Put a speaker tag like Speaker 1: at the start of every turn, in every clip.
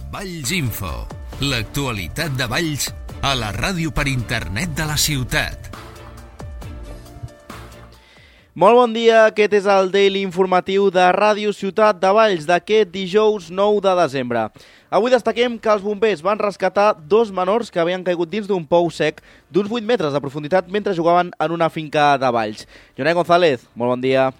Speaker 1: Valls Info, l'actualitat de Valls a la ràdio per internet de la ciutat.
Speaker 2: Molt bon dia, aquest és el Daily Informatiu de Ràdio Ciutat de Valls d'aquest dijous 9 de desembre. Avui destaquem que els bombers van rescatar dos menors que havien caigut dins d'un pou sec d'uns 8 metres de profunditat mentre jugaven en una finca de Valls. Jonai González, molt bon dia.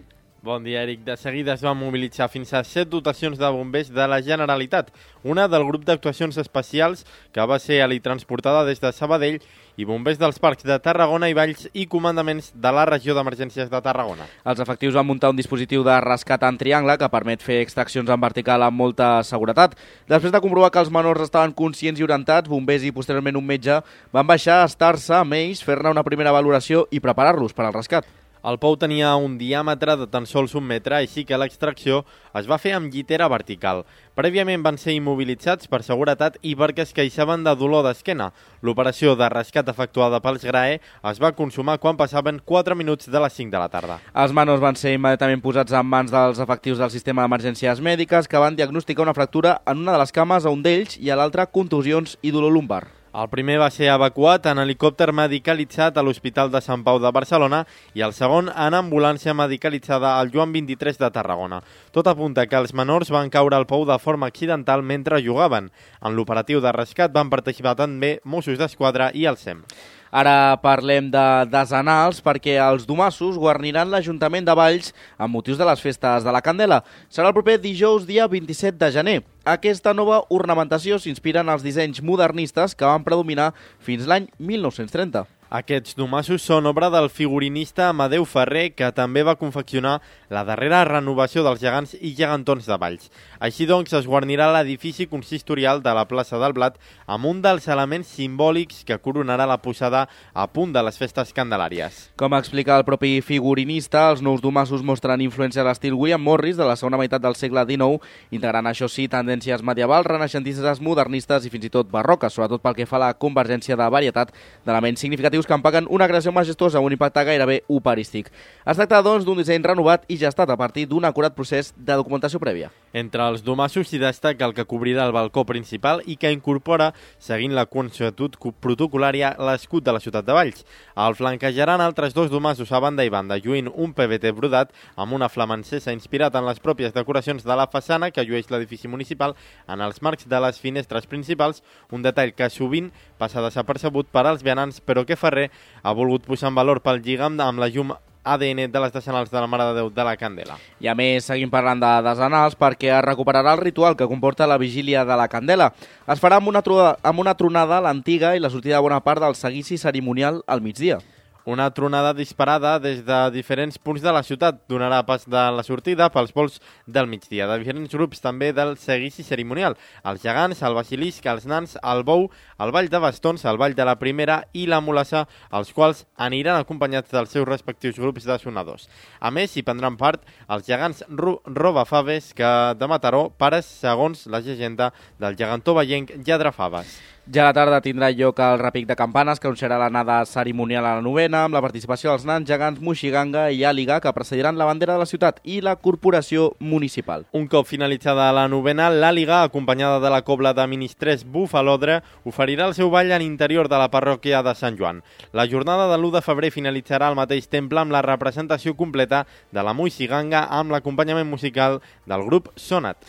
Speaker 3: Bon dia, Eric. De seguida es van mobilitzar fins a 7 dotacions de bombers de la Generalitat, una del grup d'actuacions especials que va ser transportada des de Sabadell i bombers dels parcs de Tarragona i Valls i comandaments de la regió d'emergències de Tarragona.
Speaker 2: Els efectius van muntar un dispositiu de rescat en triangle que permet fer extraccions en vertical amb molta seguretat. Després de comprovar que els menors estaven conscients i orientats, bombers i posteriorment un metge van baixar a estar-se amb ells, fer-ne una primera valoració i preparar-los per al rescat.
Speaker 3: El pou tenia un diàmetre de tan sols 1 metre, així que l'extracció es va fer amb llitera vertical. Prèviament van ser immobilitzats per seguretat i perquè es queixaven de dolor d'esquena. L'operació de rescat efectuada pels GRAE es va consumar quan passaven 4 minuts de les 5 de la tarda.
Speaker 2: Els menors van ser immediatament posats en mans dels efectius del sistema d'emergències mèdiques que van diagnosticar una fractura en una de les cames a un d'ells i a l'altra contusions i dolor lumbar.
Speaker 3: El primer va ser evacuat en helicòpter medicalitzat a l'Hospital de Sant Pau de Barcelona i el segon en ambulància medicalitzada al Joan 23 de Tarragona. Tot apunta que els menors van caure al pou de forma accidental mentre jugaven. En l'operatiu de rescat van participar també Mossos d'Esquadra i el SEM.
Speaker 2: Ara parlem de desenals perquè els domassos guarniran l'Ajuntament de Valls amb motius de les festes de la Candela. Serà el proper dijous, dia 27 de gener. Aquesta nova ornamentació s'inspira en els dissenys modernistes que van predominar fins l'any 1930.
Speaker 3: Aquests domassos són obra del figurinista Amadeu Ferrer, que també va confeccionar la darrera renovació dels gegants i gegantons de Valls. Així doncs, es guarnirà l'edifici consistorial de la plaça del Blat amb un dels elements simbòlics que coronarà la posada a punt de les festes candelàries.
Speaker 2: Com explica el propi figurinista, els nous domassos mostren influència a l'estil William Morris de la segona meitat del segle XIX, integrant, això sí, tendències medievals, renaixentistes, modernistes i fins i tot barroques, sobretot pel que fa a la convergència de varietat d'elements significatius que empaquen una creació majestuosa amb un impacte gairebé operístic. Es tracta, doncs, d'un disseny renovat i gestat a partir d'un acurat procés de documentació prèvia.
Speaker 3: Entre els domassos s'hi destaca el que cobrirà el balcó principal i que incorpora, seguint la consuetud protocolària, l'escut de la ciutat de Valls. El flanquejaran altres dos domassos a banda i banda, lluint un PVT brodat amb una flamancesa inspirat en les pròpies decoracions de la façana que llueix l'edifici municipal en els marcs de les finestres principals, un detall que sovint passa desapercebut per als vianants, però que Ferrer ha volgut posar en valor pel lligam amb la llum ADN de les decenals de la Mare de Déu de la Candela. I
Speaker 2: a més, seguim parlant de decenals perquè es recuperarà el ritual que comporta la vigília de la Candela. Es farà amb una tronada a l'antiga i la sortida de bona part del seguici cerimonial al migdia.
Speaker 3: Una tronada disparada des de diferents punts de la ciutat donarà pas de la sortida pels vols del migdia, de diferents grups també del seguici cerimonial. Els gegants, el basilisc, els nans, el bou, el ball de bastons, el ball de la primera i la mulassa, els quals aniran acompanyats dels seus respectius grups de sonadors. A més, hi prendran part els gegants robafaves de Mataró, pares segons la llegenda del gegantó vallenc Lladrafaves.
Speaker 2: Ja a la tarda tindrà lloc el repic de campanes, que anunciarà l'anada cerimonial a la novena, amb la participació dels nans, gegants, moixiganga i àliga, que precediran la bandera de la ciutat i la corporació municipal.
Speaker 3: Un cop finalitzada la novena, l'àliga, acompanyada de la cobla de ministrers Bufalodre, oferirà el seu ball a l'interior de la parròquia de Sant Joan. La jornada de l'1 de febrer finalitzarà al mateix temple amb la representació completa de la moixiganga amb l'acompanyament musical del grup Sonat.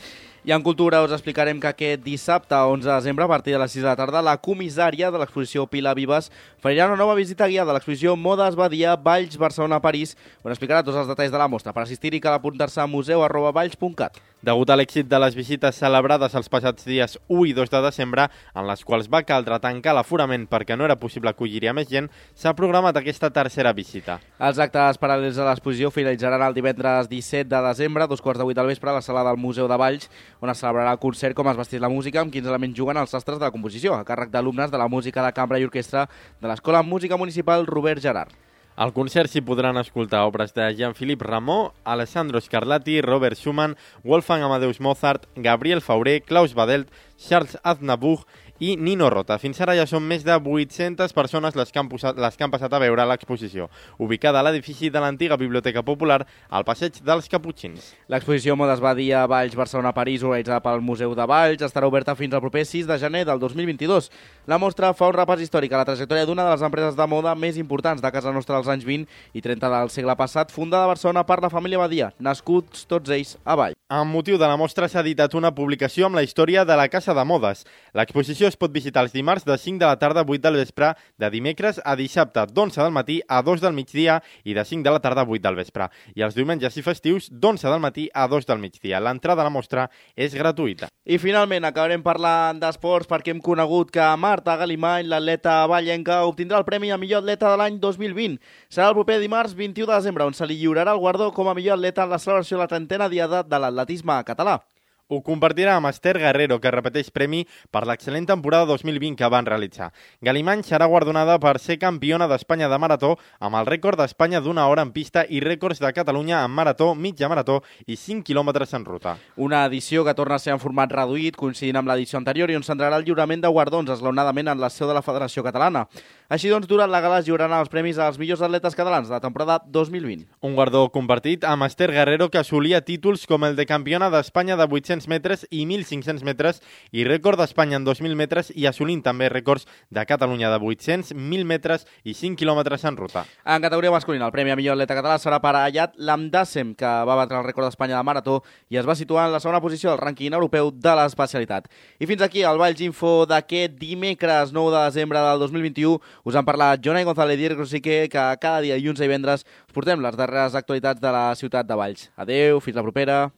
Speaker 2: I en cultura us explicarem que aquest dissabte, 11 de desembre, a partir de les 6 de la tarda, la comissària de l'exposició Pilar Vives farà una nova visita guiada de l'exposició Modes Badia Valls Barcelona-París, on explicarà tots els detalls de la mostra. Per assistir-hi cal apuntar-se a museu@valls.cat.
Speaker 3: Degut a l'èxit de les visites celebrades els passats dies 1 i 2 de desembre, en les quals va caldre tancar l'aforament perquè no era possible acollir-hi a més gent, s'ha programat aquesta tercera visita.
Speaker 2: Els actes paral·lels a l'exposició finalitzaran el divendres 17 de desembre, a 2:15 del vespre, a la sala del Museu de Valls, on es celebrarà el concert Com es vesteix la música, amb quins elements juguen els sastres de la composició, a càrrec d'alumnes de la música de cambra i orquestra de l'Escola Música Municipal Robert Gerard.
Speaker 3: Al concert s'hi podran escoltar obres de Jean-Philippe Rameau, Alessandro Scarlatti, Robert Schumann, Wolfgang Amadeus Mozart, Gabriel Fauré, Klaus Badelt, Charles Aznavour i Nino Rota. Fins ara ja són més de 800 persones les que han passat a veure l'exposició, ubicada a l'edifici de l'antiga Biblioteca Popular al passeig dels Caputxins.
Speaker 2: L'exposició Modes Badia Valls Barcelona-París, organitzada pel Museu de Valls, estarà oberta fins al proper 6 de gener del 2022. La mostra fa un repàs històric a la trajectòria d'una de les empreses de moda més importants de casa nostra als anys 20 i 30 del segle passat, fundada a Barcelona per la família Badia, nascuts tots ells a Valls.
Speaker 3: Amb motiu de la mostra s'ha editat una publicació amb la història de la Casa de Modes. L'exposició es pot visitar els dimarts de 5 de la tarda a 8 del vespre, de dimecres a dissabte d'11 del matí a 2 del migdia i de 5 de la tarda a 8 del vespre. I els diumenges i festius d'11 del matí a 2 del migdia. L'entrada a la mostra és gratuïta.
Speaker 2: I finalment acabarem parlant d'esports perquè hem conegut que Marta Galimany, l'atleta vallenca, obtindrà el premi a millor atleta de l'any 2020. Serà el proper dimarts 21 de desembre on se li lliurarà el guardó com a millor atleta en la celebració de la 30a diada de l'atletisme català.
Speaker 3: Ho compartirà amb Esther Guerrero, que repeteix premi per l'excel·lent temporada 2020 que van realitzar. Galimany serà guardonada per ser campiona d'Espanya de marató amb el rècord d'Espanya d'una hora en pista i rècords de Catalunya en marató, mitja marató i 5 quilòmetres en ruta.
Speaker 2: Una edició que torna a ser en format reduït, coincidint amb l'edició anterior i on centrarà el lliurament de guardons esglaonadament en la seu de la Federació Catalana. Així doncs, durant la gala es lliuraran els premis als millors atletes catalans de la temporada 2020.
Speaker 3: Un guardó compartit amb Esther Guerrero, que assolia títols com el de campiona d'Espanya de 800 metres i 1.500 metres i rècord d'Espanya en 2.000 metres i assolint també rècords de Catalunya de 800, 1.000 metres i 5 quilòmetres en ruta.
Speaker 2: En categoria masculina, el premi a millor atleta català serà per a Ayat Lamdasem, que va batre el rècord d'Espanya de marató i es va situar en la segona posició del rànquing europeu de l'especialitat. I fins aquí el Valls Info d'aquest dimecres 9 de desembre del 2021. Us han parlat Jonai González i Eric Rosique, que cada dia dilluns i divendres us portem les darreres actualitats de la ciutat de Valls. Adeu, fins la propera.